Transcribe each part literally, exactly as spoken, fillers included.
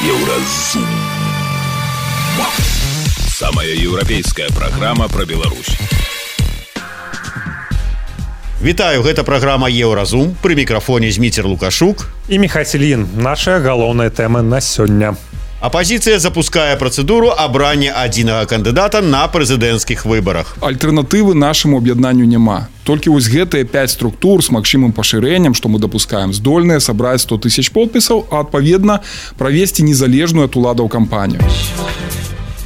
Еўразум. Самая еўрапейская праграма пра Беларусь. Вітаю, гэта праграма Еўразум. Пры мікрафоне Зміцер Лукашук і Міхась Ільін. Нашая галоўная тэма на сёння. Апазіцыя запускае працэдуру абрання адзінага кандыдата на прэзідэнцкіх выбарах. Альтэрнатывы нашаму аб'яднанню няма. Толькі вось гэтыя пяць структур з магчымым пашырэннем, што мы дапускаем, здольныя сабраць сто тысяч подпісаў, а адпаведна правесці незалежную ад уладаў кампанію.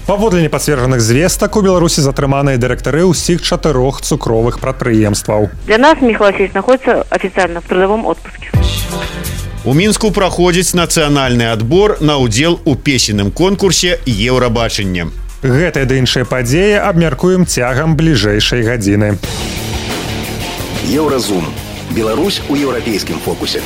Паводле непацверджаных звестак, у Беларусі затрыманыя дырэктары ўсіх чатырох цукровых прадпрыемстваў. Для нас Михаил Васильевич находится официально в трудовом отпуске. У Мінску праходзіць нацыянальны адбор на ўдзел у песенным конкурсе «Еўрабачанне». Гэтыя ды іншыя падзеі абмяркуем цягам бліжэйшай гадзіны. Еўразум. Беларусь у еўрапейскім фокусе.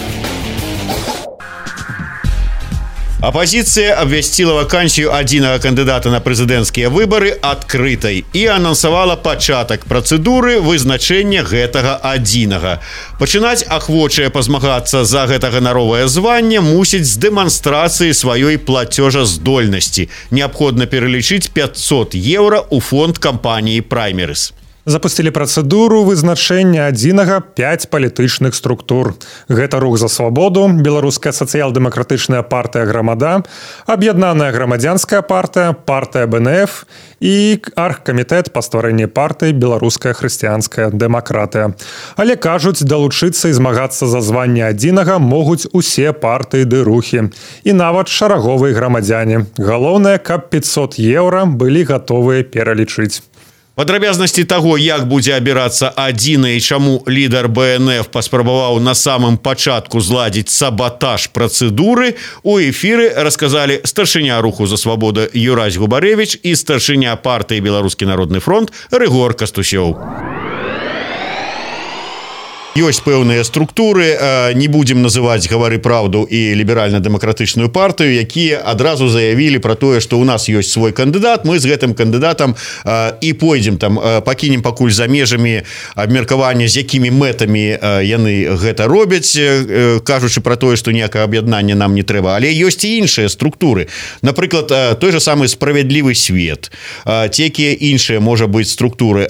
Апазіцыя абвясціла вакансію адзінага кандыдата на прэзідэнцкія выбары адкрытай і анансавала пачатак працэдуры вызначэння гэтага адзінага. Пачынаць ахвочыя пазмагацца за гэта ганаровае званне мусіць з дэманстрацыі сваёй плацёжаздольнасці. Неабходна пералічыць пяцьсот еўра ў фонд кампаніі «Праймерис». Запусцілі працэдуру вызначэння адзінага пяць палітычных структур. Гэта рух за свабоду, беларуская сацыял-дэмакратычная партыя «Грамада», аб'яднаная грамадзянская партыя, партыя бэ эн эф і аргкамітэт па стварэнні партыі «Беларуская хрысціянская дэмакратыя». Але кажуць, далучыцца і змагацца за званне адзінага могуць усе партыі ды рухі. І нават шараговыя грамадзяне. Галоўнае, каб пяцьсот еўра былі гатовыя пералічыць. Падрабязнасці таго, як будзе абірацца адзіны і чаму лідар бэ эн эф паспрабаваў на самым пачатку зладзіць сабатаж працэдуры, у эфіры расказалі старшыня руху за свабоду Юрась Губарэвіч і старшыня партыі «Беларускі народны фронт» Рыгор Кастусёў. Ёсць пэўныя структуры, не будзем называць «Гавары праўду» і ліберальна-дэмакратычную партыю, якія адразу заявілі пра тое, што ў нас ёсць свой кандыдат, мы з гэтым кандыдатам і пойдзем там, пакінем пакуль за межамі абмеркавання, з якімі мэтамі яны гэта робяць, кажучы пра тое, што ніякае аб'яднанне нам не трэба. Але ёсць і іншыя структуры. Напрыклад, той же самы «Справядлівы свет», ці якія іншыя, можа быць, структуры.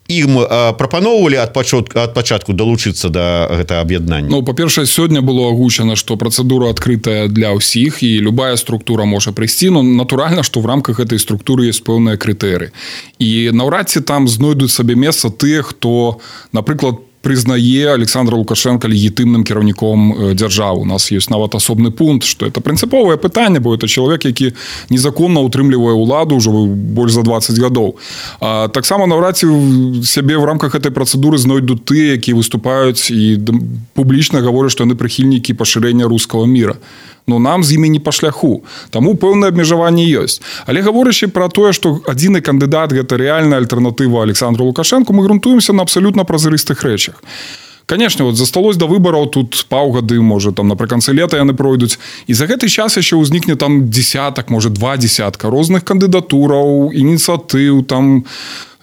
Ім прапаноўвалі ад пачатку, ад пачатку далучыцца да гэтага аб'яднання? Ну, па-першае, сёння было агучана, што працэдура адкрытая для ўсіх і любая структура можа прыйсці, но натуральна, што в рамках гэтай структуры ёсць пэўныя крытэрыі. І наўрад ці там знойдуць сабе месца тыя, хто, напрыклад, прызнае Александра Лукашенка легітымным кіраўніком дзяржавы. У нас ёсць нават асобны пункт, што это прынцыповае пытанне, бо это чалавек, які незаконна ўтрымлівае ўладу ўжо больш за дваццаць гадоў. А таксама наўрад ці сябе в рамках гэтай працэдуры знойдуць тыя, якія выступаюць і публічна гавораць, што яны прыхільнікі пашырэння рускага міра. Но нам з імі не па шляху. Таму пэўнае абмежаванне ёсць. Але гаворачы пра тое, што адзіны кандыдат гэта рэальная альтэрнатыва Александру Лукашенку, мы грунтуемся на абсалютна празрыстых рэчах. Конечно, вот засталось да выбараў тут паўгады, можа, там напрыканцы лета яны пройдуць. І за гэты час яшчэ ўзнікне там дзесятак, можа, два дзесятка розных кандыдатураў, ініцыятыў, там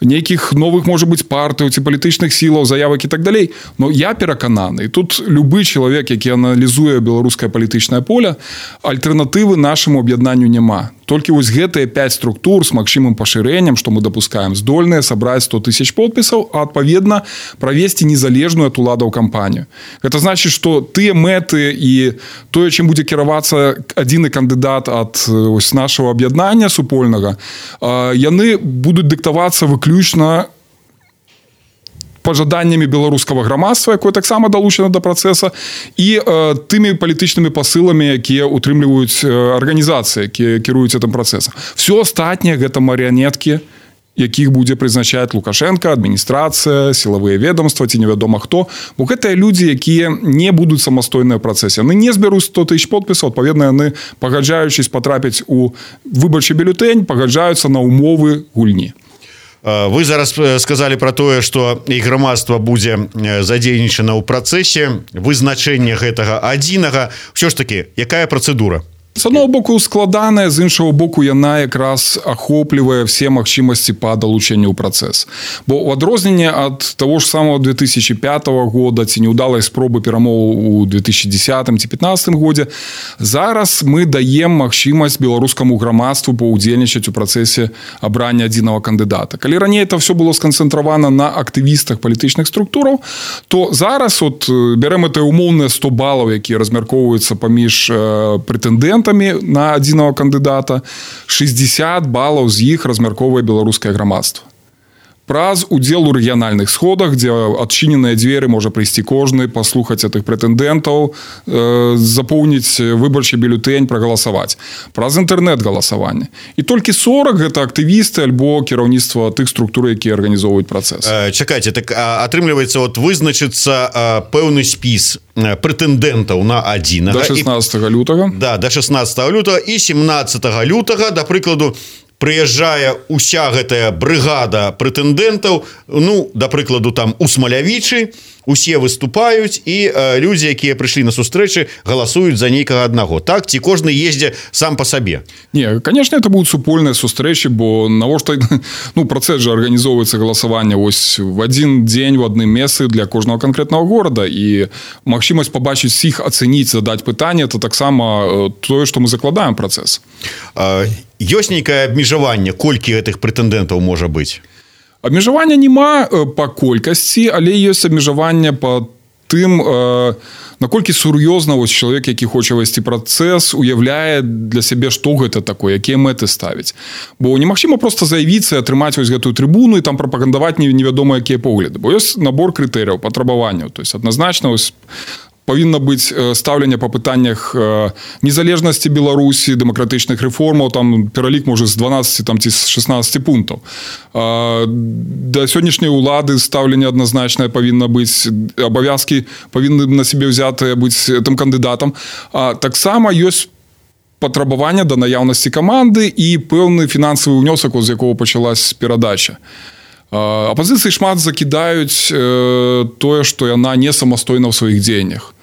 нейкіх новых, можа быць, партый ці палітычных сілаў, заявак і так далей. Но я перакананы, і тут любы чалавек, які аналізуе беларускае палітычнае поле, альтэрнатывы нашаму аб'яднанню няма. Толькі вось гэтыя пяць структур з магчымым пашырэннем, што мы дапускаем, здольныя сабраць сто тысяч подпісаў, а адпаведна правесці незалежную ад уладаў кампанію. Гэта значыць, што тыя мэты і тое, чым будзе кіравацца адзіны кандыдат ад ось нашага аб'яднання супольнага, яны будуць дыктавацца выключна пажаданнямі беларускага грамадства, якое таксама далучана да працэса, і э, тымі палітычнымі пасыламі, якія утрымліваюць э, арганізацыі, якія кіруюць гэтым працэсам. Всё астатняе гэта марыянеткі, якіх будзе прызначаць Лукашенко, адміністрацыя, сілавыя ведомства ці невядома хто. Бо гэтыя людзі, якія не будуць самастойныя ў працэсе. Яны не збяруць сто тысяч подпісаў, адпаведна, яны, пагаджаючись патрапіць у выбарчы бюлетэнь, пагаджаюцца на ўмовы гульні. Вы зараз сказалі пра тое, што і грамадства будзе задзейнічана ў працэсе вызначэння гэтага адзінага. Ўсё ж такі, якая працэдура? З одного боку складаная, з іншого боку яна якраз ахоплівае все магчымасці па далучэнню ў працэс. Бо ў адрозненне ад таго ж самого две тысячи пятого года ці неўдалай спробы перамоў у две тысячи десятым ці пятнадцатым годзе, зараз мы даем магчымасць беларускаму грамадству паўдзельнічаць у працэсе абрання адзінага кандыдата. Калі раней это все было сканцэнтравана на актывістах палітычных структураў, то зараз от бярэм это умоўныя сто балаў, якія размяркоўваюцца паміж прэтэндэнтамі на адзінага кандыдата, шестьдесят балаў з іх размяркоўвае беларускае грамадства. Праз удзел у рэгіянальных сходах, дзе адчыненыя дзверы можа прыйсці кожны, паслухаць гэтых прэтэндэнтаў, э, запоўніць выбарчы бюлетэнь, прагаласаваць. Праз інтэрнэт-галасаванне. І толькі сорок гэта актывісты альбо кіраўніцтва тых структур, якія арганізоўваюць працэс. Э, чакайце, так атрымліваецца, от вызначыцца э, пэўны спіс прэтэндэнтаў на адзінага. Да шестнадцатого лютага. Да, да шестнадцатого лютага і семнадцатого лютага, да прыкладу, прыязджае уся гэтая брыгада прэтэндэнтаў, ну, да прыкладу, там у Смалявічы, усе выступаюць, і э, людзі, якія прыйшлі на сустрэчы, галасуюць за нейкага аднаго. Так, ці кожны ездзе сам па сабе? Не, конечно, это будут супольныя сустрэчы, бо навошта, ну, працэс жа арганізоўваецца галасаванне вось в адзін дзень, в адным месцы для кожнага канкрэтнага горада, і магчымасць пабачыць іх, ацэніць, задаць пытанне, это таксама тое, што мы закладаем працэс. Э, ёсць нейкае абмежаванне, колькі гэтых прэтэндэнтаў можа быць? Абмежавання няма па колькасці, але ёсць абмежаванне па тым, наколькі сур'ёзна вось чалавек, які хоча весці працэс, уяўляе для сябе, што гэта такое, якія мэты ставіць. Бо немагчыма проста заявіцца і атрымаць вось гэтую трыбуну і там прапагандаваць невядома якія погляды. Бо ёсць набор крытэрыяў, патрабаванняў. То есть адназначна вось павінна быць стаўленне па пытаннях незалежнасці Беларусі, дэмакратычных рэформаў, там пералік можа з дванаццаці там, ці з шестнадцаці пунктаў. Да сённяшняй улады стаўленне адназначнае павінна быць, абавязкі павінны на сябе ўзятыя быць тым кандыдатам. А таксама ёсць патрабаванне да наяўнасці каманды і пэўны фінансавы ўнёсак, з якога пачалась перадача. Апазіцыі шмат закідаюць тое, што яна не самастойна ў сваіх дзеяннях.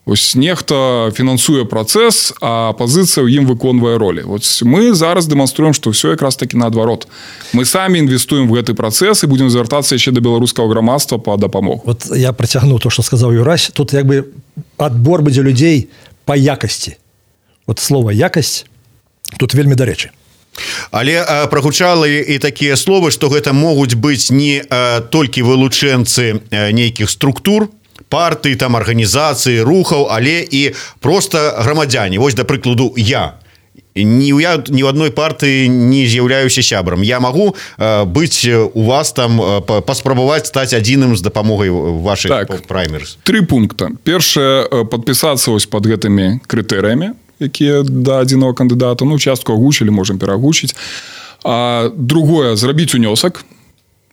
Ось нехта фінансуе працэс, а апазіцыя ў ім выконвае ролі. Ось мы зараз дэманструем, што ўсё якраз такі наадварот. Мы самі інвестуем в гэты працэс і будзем звяртацца яшчэ да беларускага грамадства па дапамогу. Вот я працягну то, што сказаў Юрась. Тут як бы адбор будзе людзей па якасці. Вот слова якасць тут вельмі дарэчы. Але а, прагучала і такія словы, што гэта могуць быць не а, толькі вылучэнцы а, нейкіх структур, партый, там арганізацыі, рухаў, але і проста грамадзяне. Вось, да прыкладу, я. Ні, я ні ў адной партыі не з'яўляюся сябрам. Я магу а, быць у вас там, а, паспрабаваць стаць адзіным з дапамогай вашых так, праймерс. Тры пункта. Першае, падпісацца вось пад гэтымі крытэрыямі, якія да адзінага кандыдата, ну, частку агучылі, можам перагучыць. А другое, зрабіць унёсак,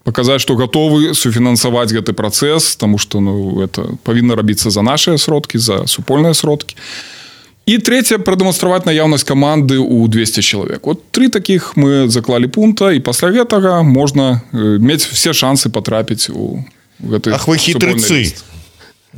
паказаць, што гатовы суфінансаваць гэты працэс, таму што, ну, это павінна рабіцца за нашыя сродкі, за супольныя сродкі. І трэцяе, прадэманстраваць наяўнасць каманды ў двести чалавек. Вот тры такіх мы заклалі пункта, і пасля гэтага можна мець все шансы патрапіць у гэты Ах, вы хітрыцы.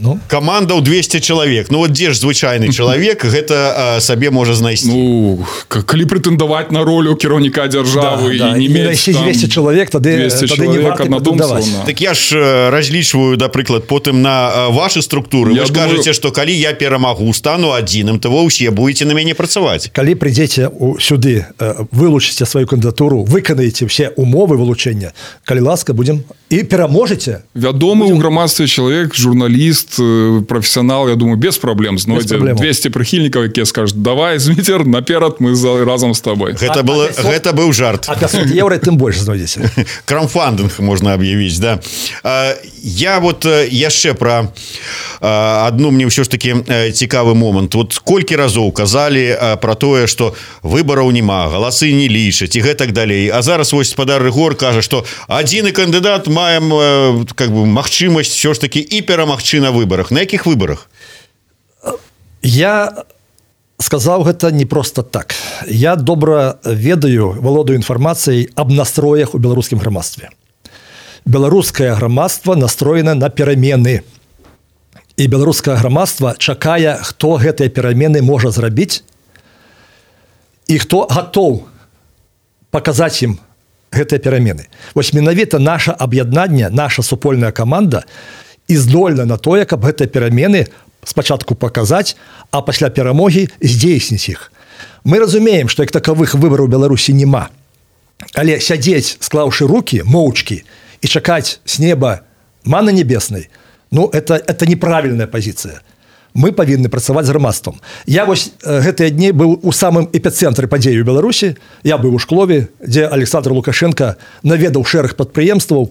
Ну? Каманда ў двести чалавек. Ну, вот дзе ж звычайны чалавек гэта а, сабе можа знайсці? Ну, калі прэтэндаваць на ролю кіраўніка дзяржавы да, да. і не мець там двести чалавек, тады, двести тады не варта прэтэндаваць. Так я ж разлічваю, напрыклад, потым на вашы структуры. Я Вы ж думаю... кажаце, што калі я перамагу, стану адзіным, то вы ўсе будете на мяне працаваць. Калі прыйдзеце сюды, вылучыце сваю кандыдатуру, выканаеце все умовы вылучэння, калі ласка, будзем і пераможаце. Вядомы ў грамадстве чалавек, журналіст, профессионал, я думаю, без проблем знойдзе двести прыхільнікаў, якія скажуць: давай, Зміцер, наперад, мы за, разом з тобой. Гэта, было, а, гэта быў жарт. А пятьсот евро тым больш знойдзеце. Краудфандинг можна аб'явіць, да. Я вот яшчэ пра адну мне ўсё ж таки цікавы момант. Вот колькі разоў казалі пра тое, што выбараў няма, галасы не лічаць і гэтак далей. А зараз вось спадар Рыгор кажа, што адзіны кандыдат маем как бы магчымасць ўсё ж таки і перамагчы на выборах. На якіх выборах? Я сказаў гэта не просто так. Я добра ведаю, валодаю інфармацыяй аб настроях у беларускім грамадстве. Беларускае грамадства настроена на перамены. І беларускае грамадства чакае, хто гэтыя перамены можа зрабіць і хто гатоў паказаць ім гэтыя перамены. Вось менавіта наша аб'яднанне, наша супольная каманда і здольна на тое, каб гэтыя перамены спачатку паказаць, а пасля перамогі здзейсніць іх. Мы разумеем, што як такавых выбараў у Беларусі няма. Але сядзець, склаўшы рукі, моўчкі, і чакаць з неба маны небеснай, ну, это, это неправільная пазіцыя. Мы павінны працаваць з грамадствам. Я вось гэтыя дні быў у самым эпіцэнтры падзеі ў Беларусі. Я быў у Шклове, дзе Александр Лукашенко наведаў шэраг прадпрыемстваў,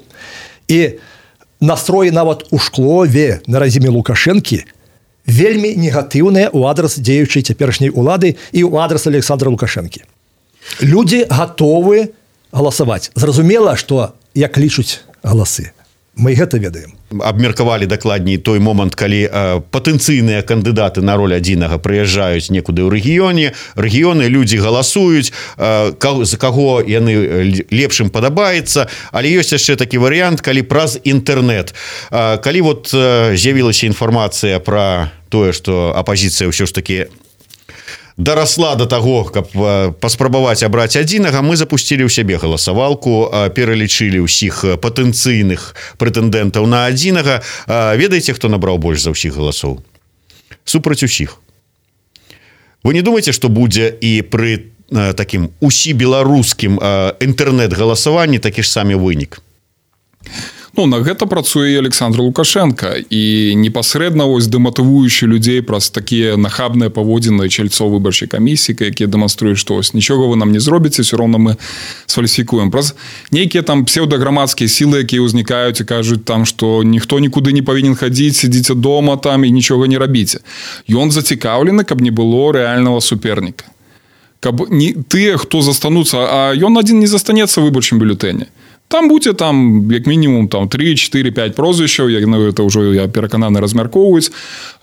і настроі нават у Шклове на рэжыме Лукашэнкі вельмі негатыўныя ў адрас дзеючай цяперашняй улады і ў адрас Александра Лукашэнкі. Людзі гатовы галасаваць. Зразумела, што як лічуць галасы. Мы гэта ведаем. Абмеркавалі дакладней той момант, калі э, патэнцыйныя кандыдаты на роль адзінага прыязджаюць некуды ў рэгіёне, рэгіёны, людзі галасуюць, э, за каго яны лепшым падабаецца, але ёсць яшчэ такі варыянт, калі праз інтэрнэт. Э, калі вот э, з'явілася інфармацыя пра тое, што апазіцыя ўсё ж такі дарасла до таго, каб паспрабаваць абраць адзінага, мы запусцілі ў сябе галасавалку, пералічылі ўсіх патэнцыйных прэтэндэнтаў на адзінага. Ведаеце, хто набраў больш за ўсіх галасоў? Супраць усіх. Вы не думаеце, што будзе і пры такім усібеларускім інтэрнэт-галасаванні такі ж самі вынік? Ну, на гэта працуе і Александр Лукашенко, і непасрэдна вось дэматывуючы людзей праз такія нахабныя паводзіны чальцоў выбарчай камісіі, якія дэманструюць, што ось нічога вы нам не зробіце, все роўна мы сфальсіфікуем. Праз нейкія там псеўдаграмадскія сілы, якія ўзнікаюць і кажуць там, што ніхто нікуды не павінен хадзіць, сядзіце дома там і нічога не рабіце. Ён зацікаўлены, каб не было рэальнага суперніка. Каб не тыя, хто застануцца, а ён адзін не застанецца ў выбарчым бюлетэне. Там будзе там як мінімум там три, четыре, пять прозвішчаў, як ну, это ўжо я перакананы размяркоўваюць,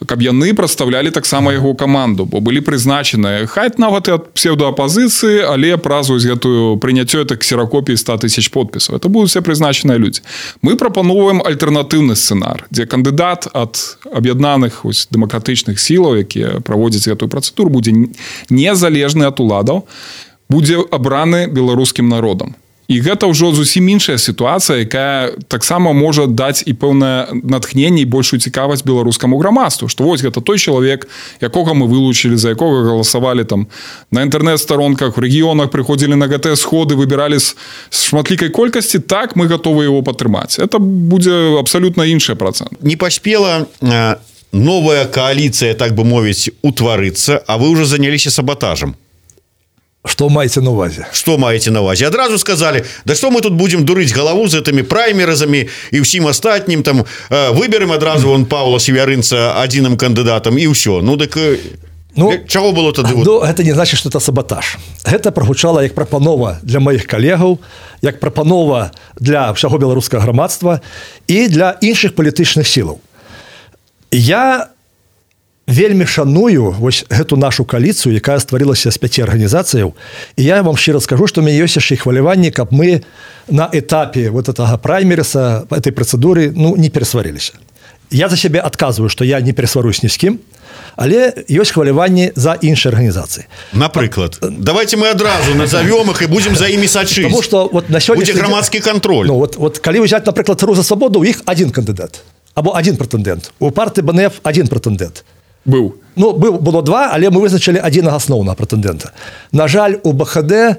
каб яны прадстаўлялі таксама яго каманду, бо былі прызначаныя хай нават і ад псеўдаапазіцыі, але праз вось гэтую прыняццё это ксеракопіі ста тысяч подпісаў. Это будуць все прызначаныя людзі. Мы прапановваем альтэрнатыўны сцэнар, дзе кандыдат ад аб'яднаных ось дэмакратычных сілаў, якія праводзяць гэтую працэдуру, будзе незалежны ад уладаў, будзе абраны беларускім народам. І гэта ўжо зусім іншая сітуацыя, якая таксама можа даць і пэўнае натхненне і большую цікавасць беларускаму грамадству, што вось гэта той чалавек, якога мы вылучылі, за якога галасавалі там на інтэрнэт-старонках, у рэгіёнах прыходзілі на гэтыя сходы, выбіралі з шматлікай колькасці, так мы гатовы яго падтрымаць. Это будзе абсалютна іншы працэнт. Не паспела новая кааліцыя, так бы мовіць, утварыцца, а вы ўжо заняліся саботажам. Что маете на увазе? Что маете на увазе? Адразу сказали, да что мы тут будем дурить голову з этими праймерызами и всем остатнім, там, выберем адразу вон Павла Севярынца адзіным кандыдатам и все. Ну, так ну, чего было тады? Ну, это не значит, что это саботаж. Это прогучала як прапанова для моих коллегаў, як прапанова для всего беларускага грамадства и для іншых палітычных сілаў. Я вельмі шаную вось гэту нашу кааліцыю, якая стварылася з пяці арганізацыяў, і я вам шчыра скажу, што у мяне ёсць яшчэ і хваляванне, каб мы на этапе вот этого праймерыса, этой працэдуры, ну, не перасварыліся. Я за сябе адказваю, што я не перасварусь ні з кім, але ёсць хваляванне за іншыя арганізацыі. Напрыклад, давайте мы адразу назовем их и будем за ими сачыць. Потому что вот на сённяшні будзе грамадскі кантроль. Ну, вот, вот калі взять, напрыклад, Рух за свабоду, у іх один кандыдат, або один прэтэндэнт. У партыі БНФ один прэтэндэнт. Быў. Ну, быў, было два, але мы вызначылі адзінага асноўнага прэтэндэнта. На жаль, у БХД,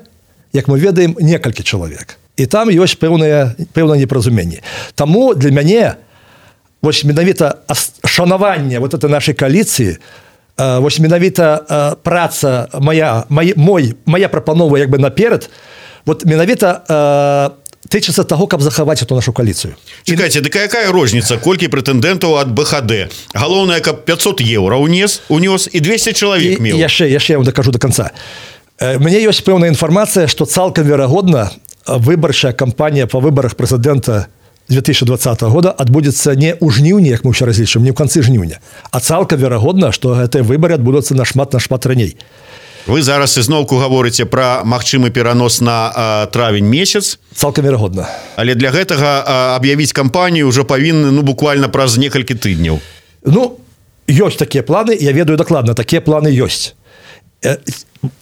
як мы ведаем, некалькі чалавек. І там ёсць пэўнае, пэўнае непаразуменне. Таму для мяне вось менавіта шанаванне вот этой нашай кааліцыі, вось менавіта праца моя, мой, мой, моя прапанова як бы наперад, вот менавіта тычыцца таго, каб захаваць эту нашу кааліцыю. Чакайце, дык якая розніца, колькі прэтэндэнтаў ад БХД? Галоўнае, каб пятьсот еўра ўнес, унёс і двести чалавек меў. І яшчэ, яшчэ я вам дакажу до конца. Мне ёсць пэўная інфармацыя, што цалкам верагодна выбарчая кампанія па выбарах прэзідэнта две тысячи двадцатого года адбудзецца не ў жніўні, як мы ўсё разлічым, не ў канцы жніўня, а цалкам верагодна, што гэтыя выбары адбудуцца нашмат нашмат раней. Вы зараз ізноўку гаворыце пра магчымы перанос на а, травень месяц. Цалкам верагодна. Але для гэтага а, аб'явіць кампанію ўжо павінны ну буквально праз некалькі тыдняў. Ну, ёсць такія планы, я ведаю дакладна, такія планы ёсць.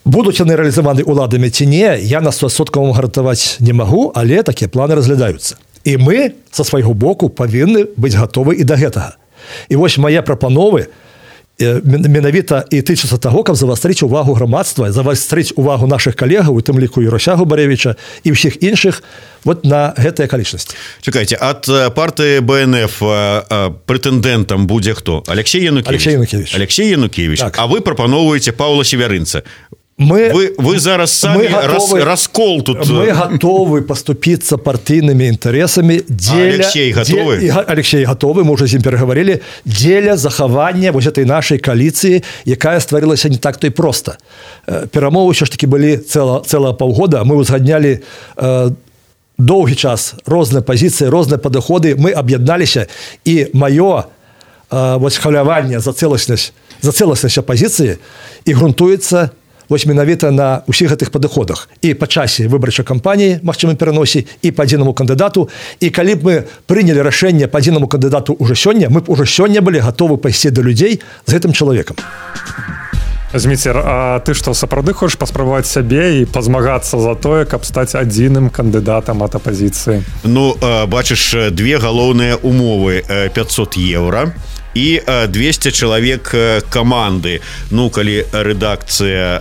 Будуць яны рэалізаваны ўладамі ці не, я на сто адсоткаў вам гарантаваць не магу, але такія планы разглядаюцца. І мы са свайго боку павінны быць гатовы і да гэтага. І вось мае прапановы менавіта і тычацца таго, каб завастрыць увагу грамадства, завастрыць увагу нашых калегаў, у тым ліку Яросягу Баревіча і ўсіх іншых вот на гэтыя акалічнасці. Чакайце, ад партыі Бэ Эн Эф прэтэндэнтам будзе хто? Алексей Янукевич. Алексей Янукевич. Алексей Янукевич. Так. А вы прапаноўваеце Паўла Севярынца. Мы, вы, вы зараз самі готовы, рас, раскол тут. Мы готовы поступиться партийными интересами. Деля, а Алексей готовы? Деля, Алексей готовы, мы уже с ним переговорили. Деля захавання вот этой нашей коалиции, якая стварилася не так-то и просто. Перамовы еще ж таки были цело, целое полгода. Мы узгадняли э, долгий час розныя позиции, розныя подходы. Мы объединялись, и мое э, вот хваляванне за целостность, за целостность оппозиции и грунтуется вось менавіта на ўсіх гэтых падыходах і па часе выбарчай кампаніі, магчымым пераносе, і па адзінаму кандыдату. І калі б мы прынялі рашэнне па адзінаму кандыдату ўжо сёння, мы б ўжо сёння былі гатовы пайсці да людзей з гэтым чалавекам. Зміцер, а ты што, сапраўды хочаш паспрабаваць сябе і пазмагацца за тое, каб стаць адзіным кандыдатам ад апазіцыі? Ну, бачыш, две галоўныя умовы: пятьсот еўра і двести чалавек каманды. Ну, калі рэдакцыя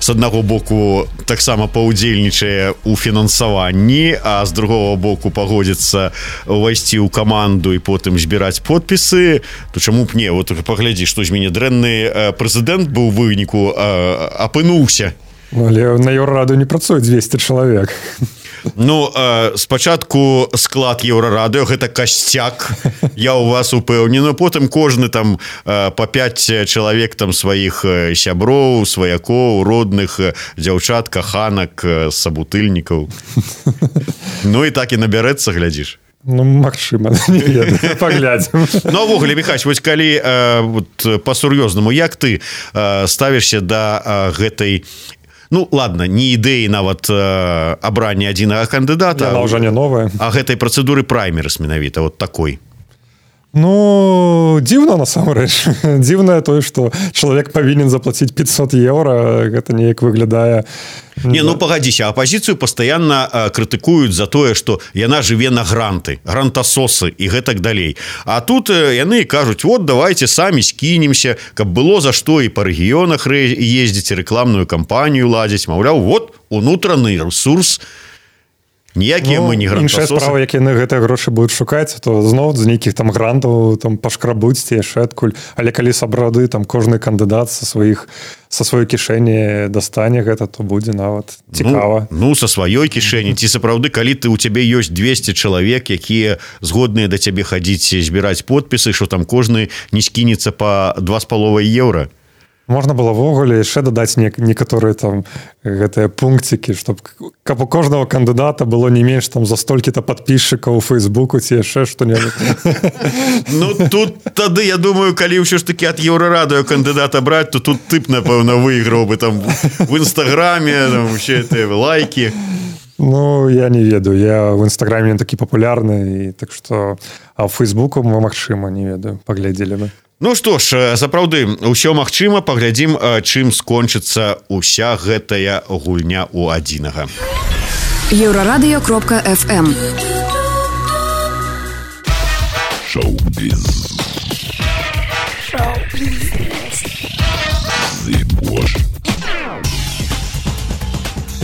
з аднаго боку таксама паўдзельнічае ў фінансаванні, а з другого боку пагодзіцца ўвайсці ў каманду і потым збіраць подпісы, то чаму б не? Вот паглядзі, што з мяне дрэнны прэзідэнт быў у выніку апынуўся. Але на Еўрараду не працуе двести чалавек. Ну, э, спачатку склад Еўрарадыё — гэта касцяк, я ў вас упэўнены. Потым кожны там э, па пяць чалавек там сваіх сяброў, сваякоў, родных, дзяўчат, каханак, сабутыльнікаў. Ну і так і набярэцца, глядзіш. Ну, магчыма, не ведаю, паглядзім. Ну, авогуле, Міхась, вось калі э, вот, па-сур'ёзнаму, як ты э, ставішся да э, гэтай, ну, ладно, не ідэі нават э, абрання адзінага кандыдата, яна ўжо не новая, а гэтай працэдуры праймерыс менавіта, вот такой? Ну, дзіўна, насамрэч. Дзіўнае тое, што чалавек павінен заплаціць пятьсот еўра, гэта неяк выглядае. Не, ну пагадзіся, апазіцыю пастаянна крытыкуюць за тое, што яна жыве на гранты, грантасосы і гэтак далей. А тут яны кажуць: вот давайте самі скінемся, каб было за што і па рэгіёнах ездзіць, рэкламную кампанію ладзіць. Маўляў, вот унутраны ресурс. Ніякія ну, мы не грантасосы. Іншая справа, як яны гэтыя грошы будуць шукаць, то зноў з нейкіх там грантаў там пашкрабуць ці яшчэ адкуль. Але калі сапраўды там кожны кандыдат са сваіх са сваёй кішэні дастане гэта, то будзе нават цікава. Ну, ну са сваёй кішэні. Ці сапраўды, калі ты у цябе ёсць двести чалавек, якія згодныя да цябе хадзіць збіраць подпісы, што там кожны не скінецца па два з паловай еўра. Можна было ввогуле яшчэ дадаць некаторыя там гэтыя пункцікі, чтоб каб у кожнага кандыдата было не менш там за столькі-то падпісчыкаў у Фейсбуку ці яшчэ што-небудзь. Ну тут тады, я думаю, калі ўсё ж такі ад Еўрарадыё кандыдата браць, то тут тып, напэўна, выйграў бы там в Інстаграме, там усе гэтыя лайкі. Ну, я не ведаю, я в Інстаграме не такі папулярны, і так што, а ў Фейсбуку мы, магчыма, не ведаю, паглядзелі бы. Ну што ж, сапраўды, усё магчыма, паглядзім, чым скончыцца уся гэтая гульня ў адзінага. Еўрарадыё кропка эф эм. Шоу-біз.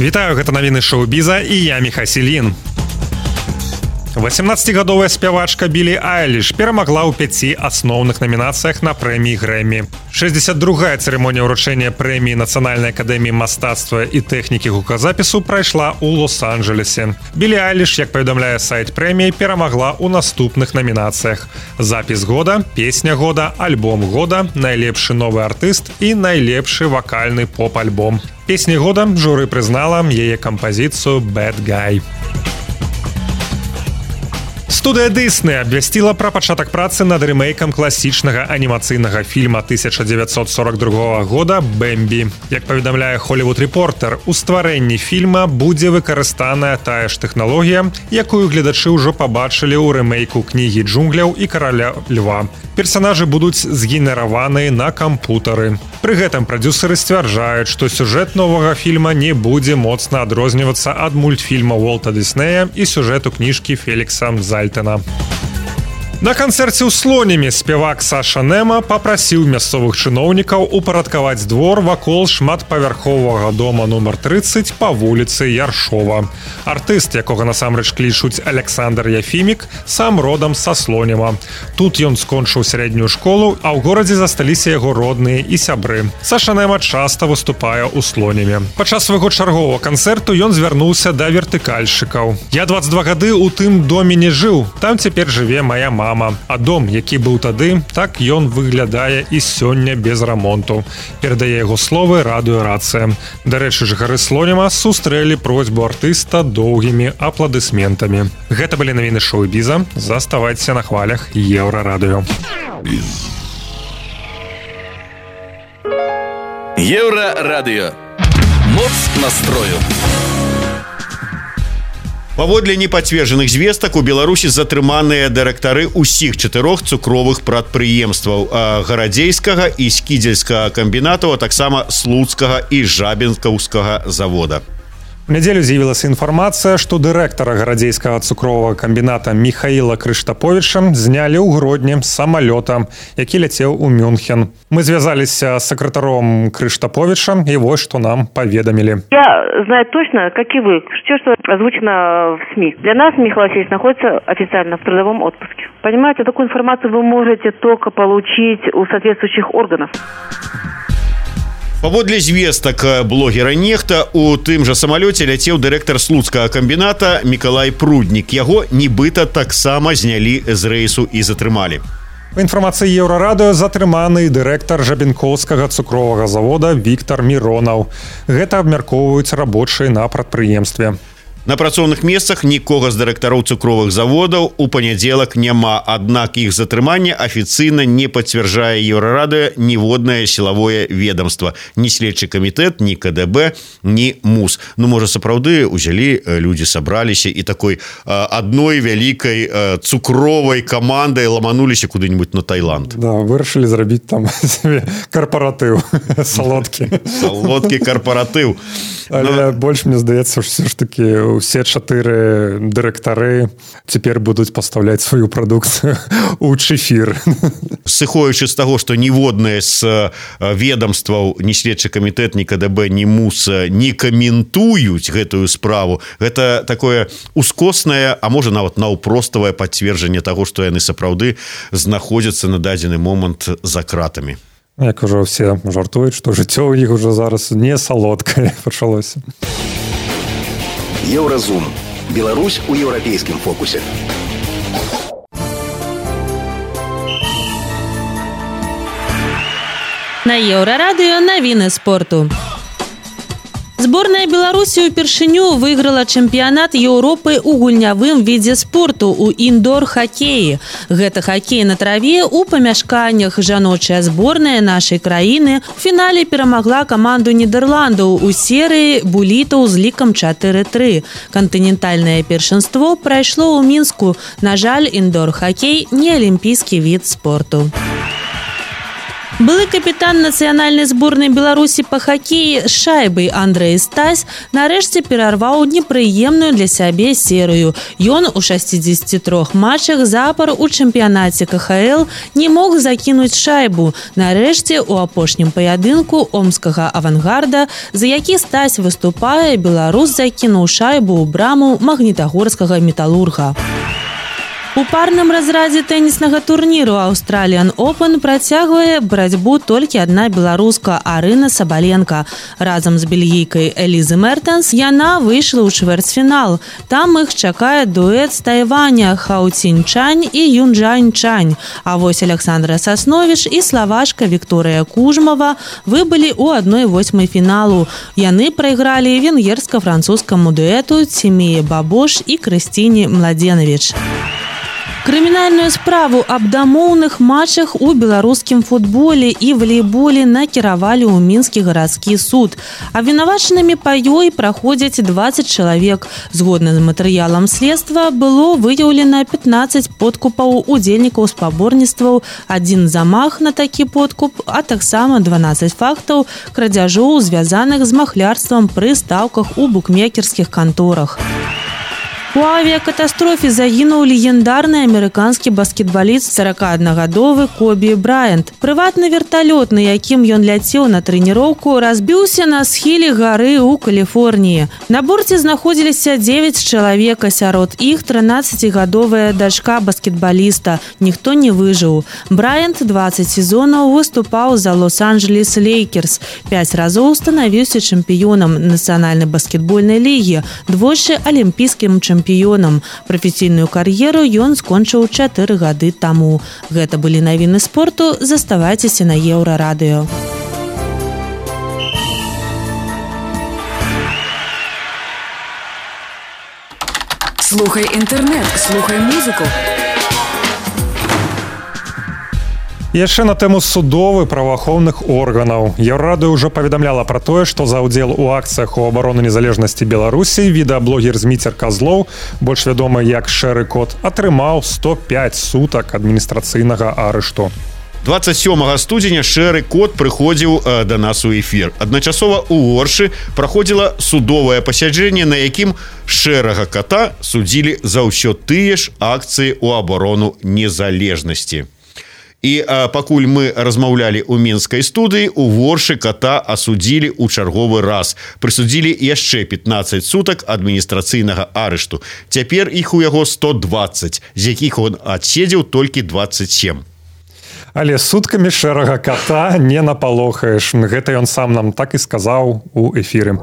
Вітаю, гэта навіны шоу-біза, і я Міхась Ільін. восемнаццацігадовая спявачка Білі Айліш перамагла ў пяці асноўных намінацыях на прэміі Грэмі. шэсцьдзесят другая цырымонія ўручэння прэміі Нацыянальнай акадэміі мастацтва і тэхнікі гуказапісу прайшла ў Лос-Анджелесе. Білі Айліш, як паведамляе сайт прэміі, перамагла ў наступных намінацыях: запіс года, песня года, альбом года, найлепшы новы артыст і найлепшы вакальны поп-альбом. Песні года журы прызнала яе кампазіцыю «Bad Guy». Студыя Disney абвясціла пра пачатак працы над рэмейкам класічнага анімацыйнага фільма тысяча дзевяцьсот сорок другога года «Бэмбі». Як паведамляе Hollywood Reporter, у стварэнні фільма будзе выкарыстаная тая ж тэхналогія, якую гледачы ўжо пабачылі ў рэмейку кнігі джунгляў і караля льва. Персанажы будуць згенераваныя на кампутары. Пры гэтым прадюсеры сцвярджаюць, што сюжэт новага фільма не будзе моцна адрознівацца ад мультфільма Уолта Дыснея і сюжэту кніжкі Фелікса Зальтена. На канцэрце ў Слонімі спевак Саша Нема папрасіў мясцовых чыноўнікаў упарадкаваць двор вакол шматпавярховага дома нумар трыццаць па вуліцы Яршова. Артыст, якога насамрэч клічуць Александр Яфімік, сам родам са Слоніма. Тут ён скончыў сярэднюю школу, а ў горадзе засталіся яго родныя і сябры. Саша Нема часта выступае ў Слоніме. Падчас свайго чарговага канцэрту ён звярнуўся да вертыкальшчыкаў. Я дваццаць два гады ў тым доме не жыў, там цяпер жыве мая мама. А дом, які быў тады, так ён выглядае і сёння без рамонту. Перадае яго словы радыёрацыя. Дарэчы, жыхары Слоніма сустрэлі просьбу артыста доўгімі апладысментамі. Гэта былі навіны шоу-біза. Заставайцеся на хвалях Еўрарадыё. Еўрарадыё. Моц настрою. Паводле непацверджаных звестак у Беларусі затрыманыя дырэктары ўсіх чатырох цукровых прадпрыемстваў гарадзейскага і скідзельскага камбінатаў, а таксама слуцкага і жабінкаўскага завода. У нядзелю з'явілася інфармацыя, што дырэктара гарадзейскага цукровага камбіната Міхаіла Крыштаповіча знялі ў грудні з самалёта, які ляцеў у Мюнхен. Мы звязаліся з сакратаром Крыштаповича, и вот что нам поведомили. Я знаю точно, как и вы, все, что озвучено в СМИ. Для нас Михаил Васильевич находится официально в трудовом отпуске. Понимаете, такую информацию вы можете только получить у соответствующих органов. Паводле звестак блогера Нехта, у тым жа самалёце ляцеў дырэктар слуцкага камбіната Мікалай Пруднік. Яго нібыта таксама знялі з рэйсу і затрымалі. Па інфармацыі Еўрарадыё затрыманы дырэктар жабінкоўскага цукровага завода Віктар Міронаў. Гэта абмяркоўваюць рабочыя на прадпрыемстве. На працоўных месцах нікога з дырэктароў цукровых заводаў у панядзелак няма, аднак іх затрыманне афіцыйна не пацвярджае Еўрарадыё ніводнае сілавое ведомства, ні следчы камітэт, ні ка дэ бэ, ні МУС. Ну, можа, сапраўды ўзялі, людзі сабраліся і такой адной вялікай цукровай камандай ламануліся куды-нибудь на Таиланд. Да, вырашылі зрабіць там карпаратыў, салодкі. Салодкі карпаратыў. Але больш, мне здаецца, ўсё ж такі усе чатыры дырэктары цяпер будуць пастаўляць сваю прадукцыю ў чэфір. Сыходзячы з таго, што ніводнае з ведомстваў, ні следчы камітэт, ні ка дэ бэ, ні МУС не каментуюць гэтую справу, гэта такое ускоснае, а можа нават наўпроставае пацверджанне таго, што яны сапраўды знаходзяцца на дадзены момант за кратамі. Як ужо ўсе жартуюць, што жыццё ў іх ужо зараз не салодкае пачалося. Еўразум. Беларусь у еўрапейскім фокусе. На Еўрарадыё навіны спорту. Зборная Беларусі ўпершыню выйграла чэмпіянат Еўропы ў гульнявым відзе спорту ў індор-хакеі. Гэта хакей на траве ў памяшканнях. Жаночая зборная нашай краіны у фінале перамагла каманду Нідерландаў у серыі булітаў з лікам чатыры тры. Кантынентальнае першынство прайшло ў Мінску. На жаль, індор-хакей не алімпійскі від спорту. Былы капітан нацыянальнай зборнай Беларусі па хакеі з шайбай Андрэй Стась нарэшце перарваў непрыемную для сябе серыю. Ён у шасцідзесяці трох матчах запар у чэмпіянаце ка ха эл не мог закінуць шайбу. Нарэшце у апошнім паядынку омскага авангарда, за які Стась выступае, беларус закінуў шайбу ў браму магнітагорскага металурга. У парным разрадзе тэніснага турніру Australian Open працягвае барацьбу толькі адна беларуска Арына Сабаленка. Разам з бельгійкай Элізы Мертенс яна выйшла ў чвэрцьфінал. Там іх чакае дуэт з Тайваня Хау Цінь Чань і Юнджань Чань. А вось Александра Сасновіч і славашка Вікторыя Кужмава выбылі ў адной восьмай фіналу. Яны прайгралі венгерска-французскаму дуэту Цімее Бабош і Крысціне Младзенавіч. Крымінальную справу аб дамоўных матчах у беларускім футболе і валейболе накіравалі ў мінскі гарадскі суд. Абвінавачанымі па ёй праходзяць дваццаць чалавек. Згодна з матэрыялам следства было выяўлена пятнаццаць подкупаў удзельнікаў спаборніцтваў, адзін замах на такі подкуп, а таксама дванаццаць фактаў крадзяжоў, звязаных з махлярствам пры стаўках у букмекерскіх канторах. У авіякатастрофе загінуў легендарны амерыканскі баскетбаліст сорокааднагадовы Кобі Брайант. Прыватны верталёт, на якім ён ляцеў на трэніроўку, разбіўся на схіле гары ў Каліфорніі. На борце знаходзіліся дзевяць чалавек, сярод іх трынаццацігадовая дачка баскетбаліста. Ніхто не выжыў. Брайант дваццаць сезонаў выступаў за Лос-Анджелес Лейкерс. Пяць разоў станавіўся чэмпіёнам нацыянальнай баскетбольнай лігі, двойчы алімпійскім чэмпіёнам. Прафесійную кар'еру ён скончыў чатыры гады таму. Гэта былі навіны спорту. Заставайцеся на Еўрарадыё. Слухай інтэрнэт, слухай музыку. Яшчэ на тэму судовых праваахоўных органаў. Еўрарадыё ўжо паведамляла пра тое, што за ўдзел у акцыях у абароны незалежнасці Беларусі відэаблогер Зміцер Казлоў, больш вядомы як Шэры Кот, атрымаў сто пяць сутак адміністрацыйнага арышту. двадцать сёмага студзеня Шэры Кот прыходзіў э, да нас у эфір. Адначасова ў Оршы праходзіла судовае пасяджэнне, на якім Шэрага Кота судзілі за ўсё тыя ж акцыі ў абарону незалежнасці. І а, пакуль мы размаўлялі ў мінскай студыі, у Оршы Кота асудзілі ў чарговы раз. Прысудзілі яшчэ пятнаццаць сутак адміністрацыйнага арышту. Цяпер іх у яго сто дваццаць, з якіх он адседзеў толькі дваццаць сем. Але суткамі Шэрага Кота не напалохаеш. Гэта ён сам нам так і сказаў у эфіры.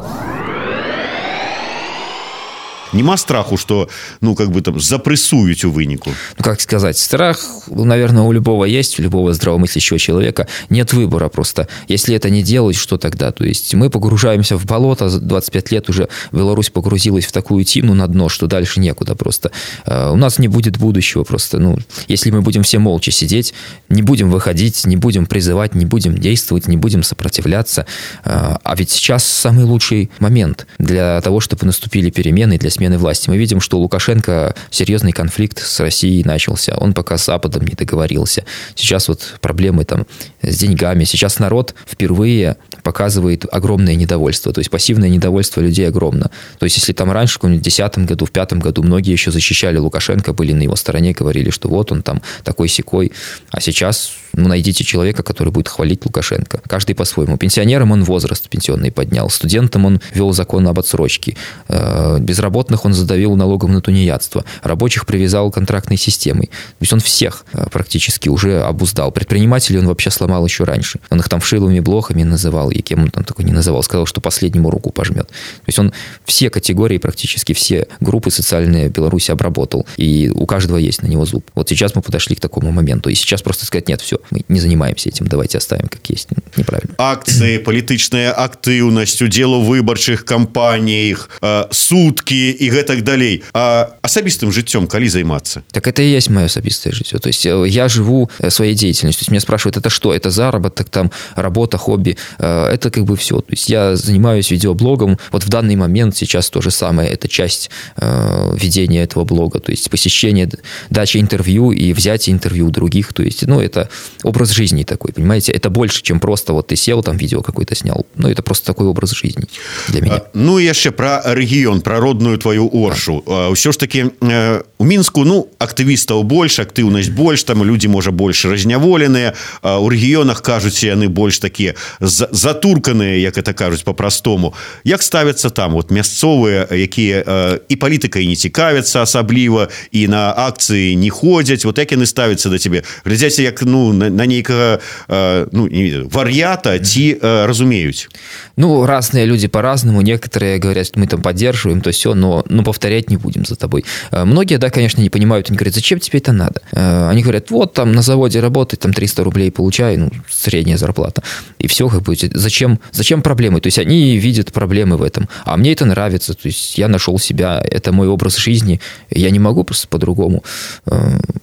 Нема страху, что, ну, как бы там запрессуют у вынику? Ну, как сказать, страх, наверное, у любого есть, у любого здравомыслящего человека. Нет выбора просто. Если это не делать, что тогда? То есть мы погружаемся в болото, двадцать пять лет уже Беларусь погрузилась в такую тину на дно, что дальше некуда просто. У нас не будет будущего просто. Ну, если мы будем все молча сидеть, не будем выходить, не будем призывать, не будем действовать, не будем сопротивляться. А ведь сейчас самый лучший момент для того, чтобы наступили перемены, для смены власти. Мы видим, что у Лукашенко серьезный конфликт с Россией начался. Он пока с Западом не договорился. Сейчас вот проблемы там с деньгами. Сейчас народ впервые показывает огромное недовольство. То есть пассивное недовольство людей огромно. То есть если там раньше, в две тысячи десятом году, в две тысячи пятом году многие еще защищали Лукашенко, были на его стороне, говорили, что вот он там такой-сякой. А сейчас, ну, найдите человека, который будет хвалить Лукашенко. Каждый по-своему. Пенсионерам он возраст пенсионный поднял. Студентам он вел закон об отсрочке. Безработных он задавил налогом на тунеядство. Рабочих привязал контрактной системой. То есть он всех практически уже обуздал. Предпринимателей он вообще сломал еще раньше. Он их там вшиловыми блохами называл, и кем он там такой не называл. Сказал, что последнему руку пожмет. То есть он все категории, практически все группы социальные в Беларуси обработал. И у каждого есть на него зуб. Вот сейчас мы подошли к такому моменту. И сейчас просто сказать, нет, все, мы не занимаемся этим, давайте оставим как есть. Неправильно. Акции, политичная активность, удел у выборчих кампаниях, э, сутки и гэтак далей. А асабістым жыццём калі займацца? Так это и есть мое особистое жыццё. То есть я живу своей деятельностью. То есть меня спрашивают, это что? Это заработок, там, работа, хобби? Это как бы все. То есть я занимаюсь видеоблогом. Вот в данный момент сейчас то же самое. Это часть э, ведения этого блога. То есть посещение, дача интервью и взятие интервью у других. То есть, ну, это образ жизни такой, понимаете? Это больше, чем просто вот ты сел, там видео какое-то снял. Ну, это просто такой образ жизни для меня. А, ну, и еще про регион, про родную твою Оршу. А. Все ж таки э, у Мінску, ну, актывістаў больш, актыўнасць больш, там люди, можа, больш разняволеныя. А у рэгіёнах, кажуць, яны больш такія затурканыя, як это кажуць по-простому. Як ставяцца там вот мясцовыя, якія э, і палітыкай не цікавяцца асабліва, і на акцыі не ходзяць, вот як яны ставяцца да цябе? Глядзяце, як, ну, на, на нейкага э, ну, не, вар'ята, ці э, разумеюць? Ну, разные люди по-разному. Некоторые говорят, что мы там поддерживаем, то все, но, но повторять не будем за тобой. Многие, да, иногда, конечно, не понимают, они говорят, зачем тебе это надо? Они говорят, вот там на заводе работать, там триста рублей получаю, ну, средняя зарплата. И все, как бы, зачем, зачем проблемы? То есть они видят проблемы в этом. А мне это нравится, то есть я нашел себя, это мой образ жизни, я не могу просто по-другому.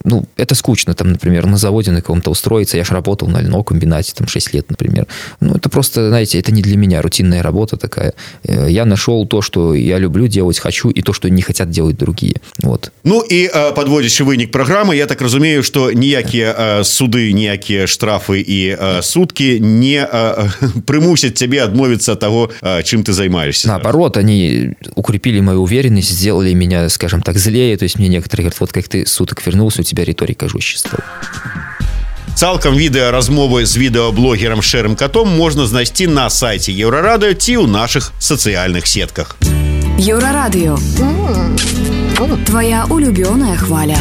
Ну, это скучно, там, например, на заводе на каком-то устроиться, я же работал на льнокомбинате, там, шесть лет, например. Ну, это просто, знаете, это не для меня, рутинная работа такая. Я нашел то, что я люблю делать, хочу, и то, что не хотят делать другие. Вот. Ну, і подводячи вынік праграмы, я так разумею, што ніякія суды, ніякія штрафы і суткі не прымусяць цябе адмовіцца ад таго, чым ты займаешься. Наоборот, они укрепили мою уверенность, сделали меня, скажем так, злее. То есть мне некоторые говорят, вот как ты суток вернулся, у тебя риторика жестче стала. Цалкам відэа размовы з відэаблогерам Шэрым Катом можна знайсці на сайце Еўрарадыё ці ў нашых сацыяльных сетках. Еўрарадыё. Твоя улюбёная хваля.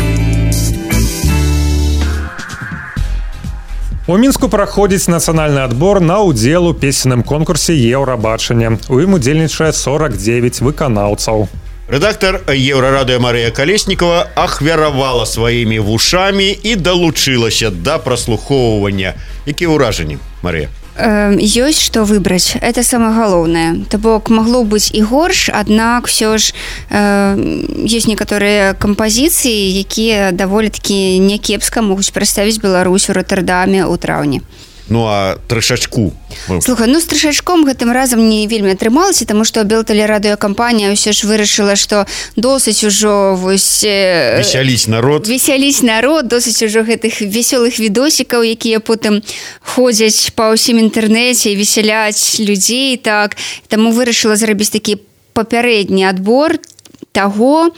У Мінску праходзіць нацыянальны адбор на ўдзел у песенным конкурсе «Еўрабачанне». У ім удзельнічае сорок девять выканаўцаў. Рэдактар Еўрарадыё Марыя Калеснікова ахвяравала сваімі вушамі і далучылася да праслухоўвання. Якія ўражанні, Марыя? Ёсць што выбраць, это самае галоўнае. То бок магло быць і горш, аднак все ж э, ёсць некаторыя кампазіцыі, якія даволі такі някепска могуць прадставіць Беларусь у Роттердаме ў траўні. Ну, а трышачку? Слухай, ну, з трышачком гэтым разам не вельмі атрымалася, таму што Белтэлерадыёкампанія ўсё ж вырашыла, што досыць ужо вось... Весяліць народ. Весяліць народ, досыць ужо гэтых весёлых відосікаў, якія потым ходзяць па ўсім інтэрнэце і весяляць людзей, так. Таму вырашыла зрабіць такі папярэдні адбор таго,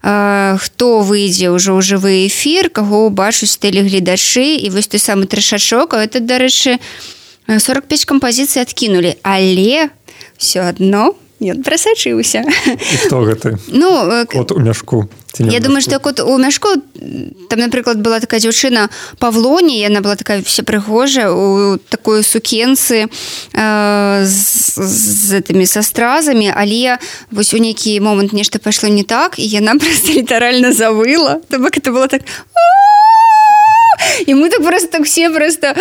хто выйдзе ўжо ў жывы эфір, каго бачуць тэлегледачы, і вось той самы трышачок, а это, дарэчы, сорок пять кампазіцый адкінулі, але ўсё адно ён прасачыўся. І хто гэты? Ну, кот у мяшку. Я думаю, што кот у мяшку, там, напрыклад, была такая дзяўчына Павлоні, яна была такая вся прыгожая, у такой сукенцы э, з, з этими са стразамі, але вось у нейкі момант нешта пайшло не так, і яна проста літаральна завыла. То бок это было так... И мы так просто, так все просто...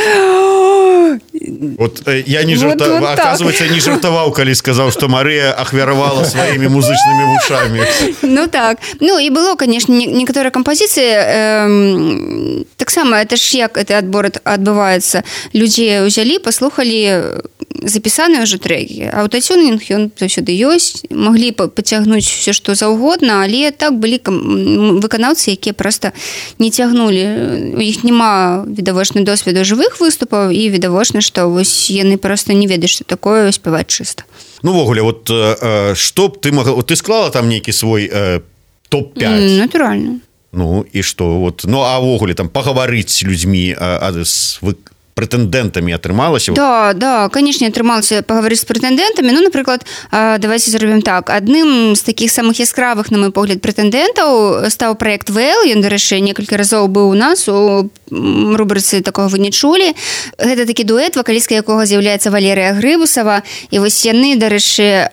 Вот я не жартовал, вот, вот оказывается, так. не жартовал, коли сказал, что Мария ахвяровала своими музычными ушами. Ну так. Ну и было, конечно, некоторые композиции, эм, так само, это ж як этот отбор отбывается. Люди взяли, послухали записанные уже треки. Аутотюнинг, он заўсёды ёсць. Могли потягнуть все, что заўгодна, але так были выканаўцы, якія просто не тягнули. У іх нема відавочна досведу жывых выступаў, і відавочна, што вось яны просто не ведаюць, што такое спяваць чыста. Ну, ввогуле, вот э, што б ты могла... Вот ты склала там нейкі свой э, топ пять? Mm, натуральна. Ну, і што? Вот, ну, а ввогуле, там, пагаварыць з людзьмі а, а, з вы... прэтэндэнтамі атрымалася? Да, да, конечно, атрымалася паговорыць з прэтэндэнтамі. Ну, напрыклад, давайте зробім так. Адным з такіх самых яскравых, на мой погляд, прэтэндэнтаў стаў праект ВЛ. Ён, дарэчы, некалькі разоў быў у нас у рубрыцы «Такого вы не чулі». Гэта такі дуэт, вакалістка якога з'яўляецца Валерыя Грыбусава. І вось яны, дарэчы,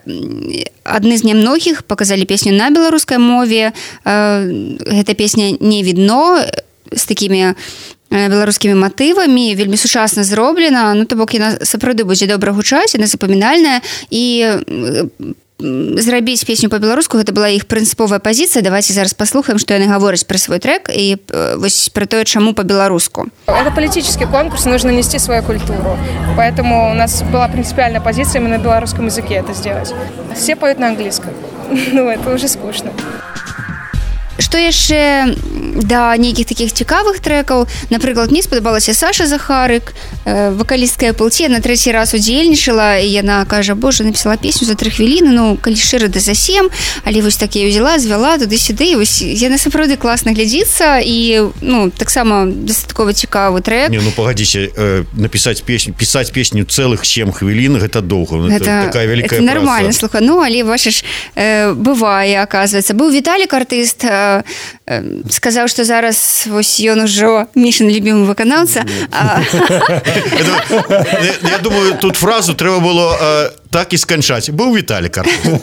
адны з нямногіх паказалі песню на беларускай мове. Гэта песня «Не відно», з такімі беларускімі матывамі, вельмі сучасна зроблена, ну то бок яна сапраўды будзе добра гучаць, яна запамінальная, і зрабіць песню по-беларуску гэта была іх прынцыповая пазіцыя. Давайте зараз паслухаем, што яны гавораць пра свой трек і вось пра тое, чаму по-беларуску. Это политический конкурс, нужно нести свою культуру, поэтому у нас была принципиальная позиция именно на белорусском языке это сделать. Все поют на английском, ну это уже скучно. Што яшчэ да нейкіх такіх цікавых трэкаў, напрыклад, мне спадабалася Саша Захарык, вакалістка Эпплці, на трэці раз удзельнічала, і яна кажа, боже, напісала песню за тры хвіліны, ну, калі шчыра, да за сем, але вось так я ўзяла, звяла туды-сюды, і вось яна сапраўды класна глядзіцца, і, ну, таксама дастаткова цікавы трэк. Не, ну, пагадзіце, э, напісаць песню, пісаць песню цэлых сем хвілін, гэта доўга, гэта такая вялікая праца. Гэта нармальна, слухай, ну, але, бачыш, э, бывае, аказваецца. Быў Віталік, артыст, сказаў, што зараз вось ён ужо Мішын любімы выканаўца. Я думаю, тут фразу трэба было так і сканчаць. Быў Віталік артыст.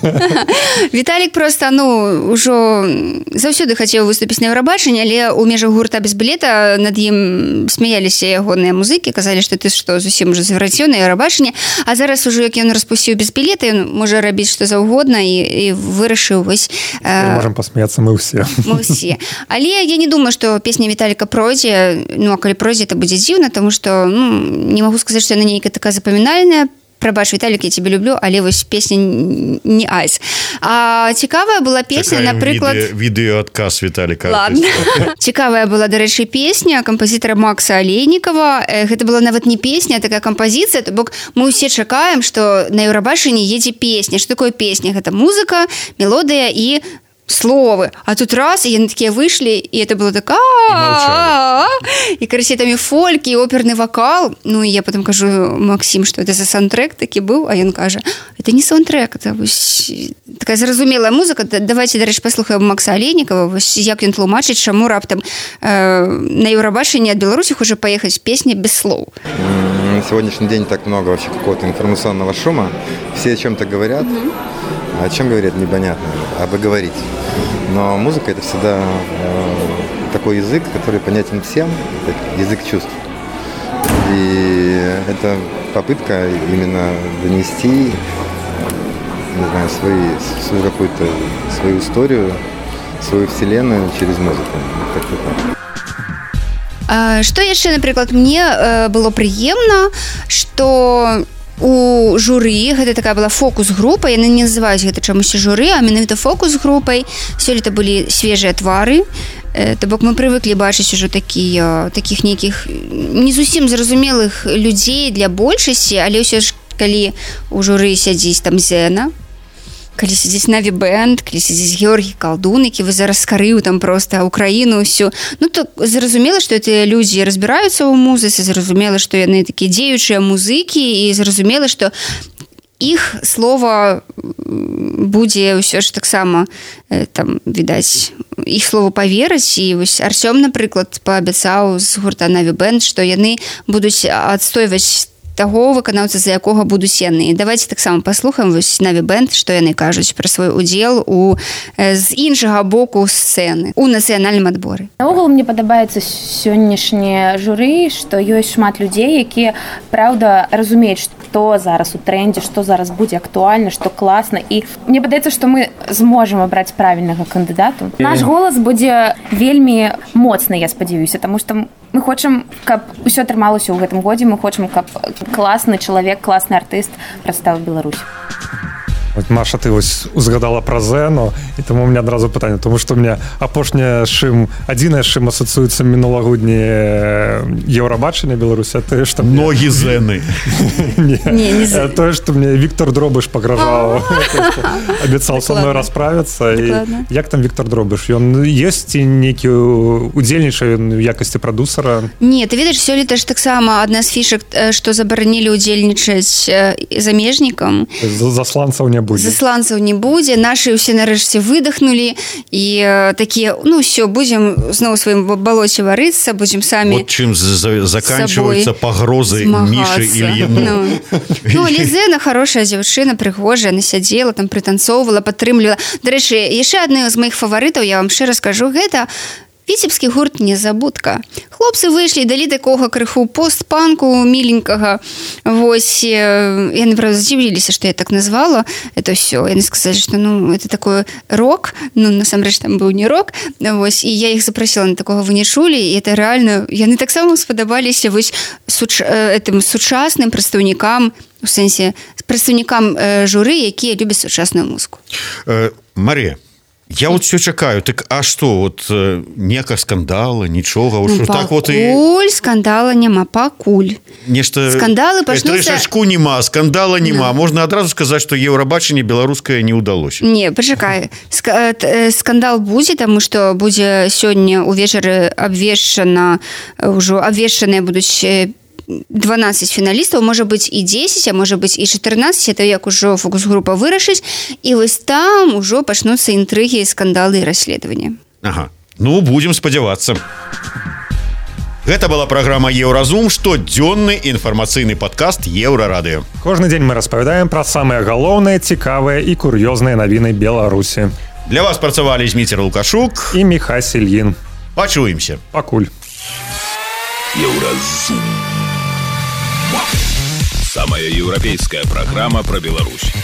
Віталік просто, ну, ужо заўсёды хацеў выступіць на Еўрабачанні, але ў межах гурта без білета над ім смяяліся ягоныя музыкі, казалі, што ты што, зусім уже завраціў на Еўрабачанні, а зараз ужо, як ён распусціў без білета, ён можа рабіць што заўгодна і, і вырашыў вось... Мы можам пасмяяцца мы ўсе. Мы ўсе. Але я не думаю, што песня Віталіка пройдзе, ну, а калі пройдзе, это будзе дзіўна, тому што, ну, не магу сказаць, што яна нейкая такая запамінальная. Прабач, Віталік, я тебе люблю, але вось песня не айс. А цікавая была песня, Такая напрыклад... Відео, відеоадказ Віталіка. Ладно. Цікавая была, дарэчы, песня кампазітара Макса Алейнікова. Гэта была нават не песня, а такая кампазіцыя, то бок мы ўсе чакаем, што на Еўрабачанні едзе песня. Што такое песня? Гэта музыка, мелодыя і словы. А тут раз, и они такие вышли, и это было так и короче, там и фольк, и оперный вокал. Ну, и я потом кажу, Максим, что это за саундтрек таки был, а ён кажа, это не саундтрек, это такая зразумелая музыка. Давайте, дарэчы, паслухаем Макса Алейнікова, як ён тлумачыць, чаму раптам э, на Еўрабачанні ад Беларусі хоча паехаць песня без слов. На сегодняшний день так много вообще какого-то информационного шума. Все о чем-то говорят. Mm-hmm. А о чем говорят, непонятно. А бы говорить. Но музыка – это всегда э, такой язык, который понятен всем. Это язык чувств. И это попытка именно донести, не знаю, свои, свою какую-то свою историю, свою вселенную через музыку. Как-то так. Што яшчэ, напрыклад, мне было прыемна, што у журы, гэта такая была фокус-група, яны не называюць гэта чамусьці журы, а менавіта фокус-групай. Сёлета былі свежыя твары, то бок мы прывыклі бачыць ужо такія, такіх нейкіх не зусім зразумелых людзей для большасці, але ўсё ж калі у журы сядзіць там Зена, калі сядзіць Наві Бэнд, калі сядзіць Георгій Калдун, які вы зараз скарыў там проста Украіну ўсю, ну то зразумела, што гэтыя людзі разбіраюцца ў музыцы, зразумела, што яны такія дзеючыя музыкі, і зразумела, што іх слова будзе ўсё ж таксама там, відаць, іх слову паверыць. І вось Арсём, напрыклад, паабяцаў з гурта Наві Бэнд, што яны будуць адстойваць таго выканаўца, за якога будуць яны. І давайте таксама паслухаем вось Наві Бэнд, што яны кажуць пра свой удзел у з іншага боку сцэны у нацыянальным адборы. Наогул мне падабаецца сённяшняе журы, што ёсць шмат людзей, якія праўда разумеюць, што зараз у трендзе, што зараз будзе актуальна, што класна, і мне падаецца, што мы зможам абраць правільнага кандыдату. Наш голас будзе вельмі моцны, я спадзяюся, таму што мы хочам, каб усё атрымалася ў гэтым годзе, мы хочам, каб класны чалавек, класны артыст прадставіў Беларусь. Вот, Маша, ты вось узгадала пра Зену, і таму у меня адразу пытанне, тому што у меня апошняе шым, адзінае шым асацыюецца мінулагодні Еўрабачання Беларусі, а тое, што мне... Ногі Зены. Не, не Зены. Тое, што мне Віктор Дробыш пагражаў, абяцаў са мной расправіцца. Як там Віктор Дробыш? Ён ёсць ці нейкі удзельнічае ў якасці прадусара? Не, ты ведаеш, сёлета ж таксама адна з фішак, што забаранілі ўдзельнічаць замежнікам. Засланцаў не будзе. Засланцаў не будзе, нашы ўсе нарэшце выдохнулі і такія, ну ўсё, будзем зноў у сваім балоце варыцца, будзем самі вот чым заканчиваются пагрозы Мішы Ільіну. Ну, ну але Зена хорошая дзяўчына, прыгожая, она сядзела там, прытанцоўвала, падтрымлівала. Дарэчы, яшчэ адны з маіх фаварытаў, я вам шчыра скажу, гэта віцебскі гурт «Незабудка». Хлопцы выйшлі, далі такога крыху пост-панку міленькага. Вось, яны, правда, здзівіліся, што я так назвала это ўсё. Яны сказалі, што, ну, это такой рок, ну, насамрэч, там быў не рок. Вось, і я іх запрасіла на такога, вы не чулі, і это реально, яны таксама спадабаліся вось суч... этым сучасным прадстаўнікам, у сэнсе, прадстаўнікам журы, якія любяць сучасную музыку. Э, Марія, я вот все чакаю, так а что, вот нека скандала, нічога, ну, пакуль так вот і... скандала няма, пакуль. Нешта... Скандалы пачнуцца... Трэшачку нема, скандала нема. No. Можна адразу сказаць, што Еўрабачанне беларускае не ўдалося. Не, пачакай. Скандал будзе, таму што будзе сёння ўвечары абвешчана, ўжо абвешчаныя будуць дванаццаць фіналістаў, можа быць і дзесяць, а можа быць і чатырнаццаць, это як ужо фокус-група вырашыць, і вось там ужо пачнуцца інтрыгі, скандалы і расследаванні. Ага. Ну, будзем спадзявацца. Гэта была праграма Еўразум, штодзённы інфармацыйны падкаст Еўрарадыё. Кожны дзень мы распавядаем пра самыя галоўныя, цікавыя і кур'ёзныя навіны Беларусі. Для вас працавалі Зміцер Лукашук і Міхась Ільін. Пачуемся. Пакуль. Еўразум. Самая еўрапейская праграма пра Беларусь.